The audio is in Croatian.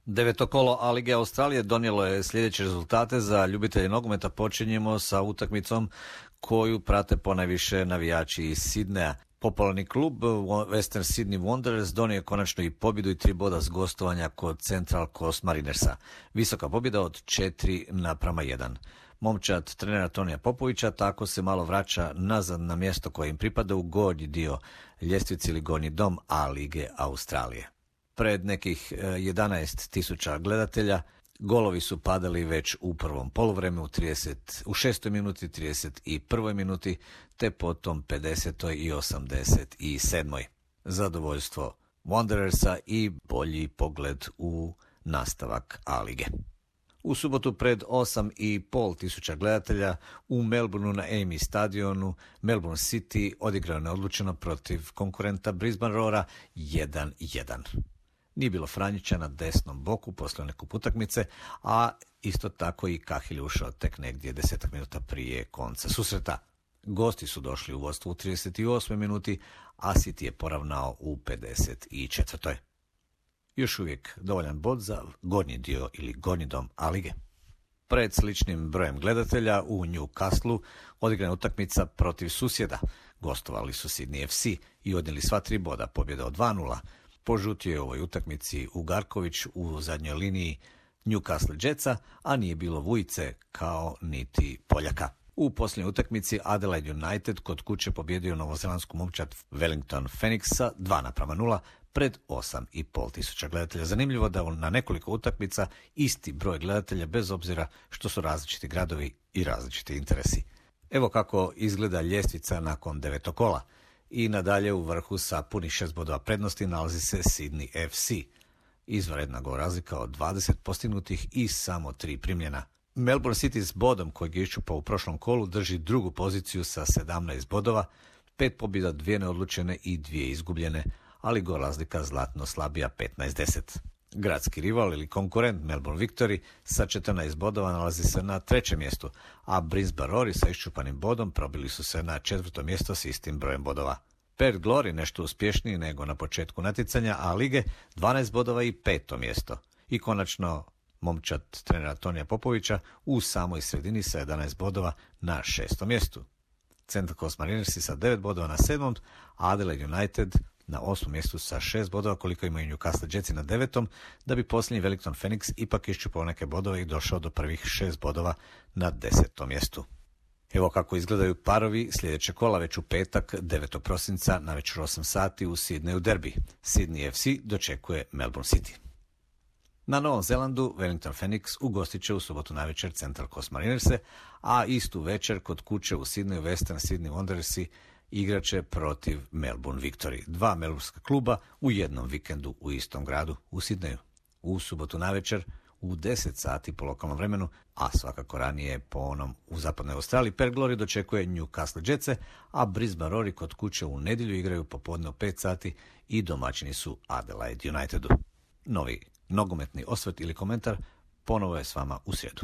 Deveto kolo A lige Australije donijelo je sljedeće rezultate za ljubitelje nogometa. Počinjemo sa utakmicom koju prate ponajviše navijači iz Sidneja. Popularni klub Western Sydney Wanderers donio je konačno i pobjedu i 3 boda s gostovanja kod Central Coast Marinersa. Visoka pobjeda od 4:1. Momčad trenera Tonija Popovića tako se malo vraća nazad na mjesto koje im pripada u gornji dio ljestvice ili gornji dom A lige Australije. Pred nekih 11.000 gledatelja golovi su padali već u prvom poluvremenu u 6. minuti, 31. minuti, te potom 50. i 87. Zadovoljstvo Wanderersa i bolji pogled u nastavak A lige. U subotu pred 8.500 gledatelja u Melbourneu na Amy stadionu Melbourne City odigrao neodlučeno protiv konkurenta Brisbane Roara 1:1. Nije bilo Franjića na desnom boku poslije neku utakmice, a isto tako i Kahil ušao tek negdje 10 minuta prije konca susreta. Gosti su došli u vodstvo u 38. minuti, a City je poravnao u 54. Još uvijek dovoljan bod za gornji dio ili gornji dom A lige. Pred sličnim brojem gledatelja u Newcastleu odigrana utakmica protiv susjeda. Gostovali su Sydney FC i odnijeli sva 3 boda, pobjeda od 2:0. Požutio je u ovoj utakmici Ugarković u zadnjoj liniji Newcastle Jetsa, a nije bilo Vujice kao niti Poljaka. U posljednjoj utakmici Adelaide United kod kuće pobjedio novozelandsku momčad Wellington Phoenixa 2:0 pred 8.500 gledatelja. Zanimljivo da na nekoliko utakmica isti broj gledatelja bez obzira što su različiti gradovi i različiti interesi. Evo kako izgleda ljestvica nakon 9. kola. I nadalje u vrhu sa punih 6 bodova prednosti nalazi se Sydney FC. Izvanredna gol razlika od 20 postignutih i samo 3 primljena. Melbourne City s bodom kojeg je iščupao u prošlom kolu drži drugu poziciju sa 17 bodova, 5 pobjeda, 2 neodlučene i 2 izgubljene, ali gol razlika zlatno slabija 15-10. Gradski rival ili konkurent Melbourne Victory sa 14 bodova nalazi se na 3. mjestu, a Brisbane Roar sa iščupanim bodom probili su se na 4. mjesto s istim brojem bodova. Perth Glory nešto uspješniji nego na početku natjecanja A lige, 12 bodova i 5. mjesto. I konačno momčad trenera Tonija Popovića u samoj sredini sa 11 bodova na 6. mjestu. Central Coast Marinersi sa 9 bodova na 7. a Adelaide United na 8. mjestu sa 6 bodova koliko imaju Newcastle Jetsi na 9. da bi posljednji Wellington Phoenix ipak iščupao neke bodove i došao do prvih 6 bodova na 10. mjestu. Evo kako izgledaju parovi sljedeće kola već u petak 9. prosinca na večer 8 sati u Sydneyu derbi. Sydney FC dočekuje Melbourne City. Na Novom Zelandu Wellington Phoenix ugostit će u subotu navečer Central Coast Marinerse, a istu večer kod kuće u Sydneyu Western Sydney Wanderersi igraće protiv Melbourne Victory. 2 melbournska kluba u jednom vikendu u istom gradu u Sydneyu. U subotu navečer u 10 sati po lokalnom vremenu, a svakako ranije po onom u zapadnoj Australiji, Perth Glory dočekuje Newcastle Jetse, a Brisbane Roar kod kuće u nedjelju igraju popodne u 5 sati i domaćini su Adelaide Unitedu. Novi nogometni osvrt ili komentar ponovo je s vama u srijedu.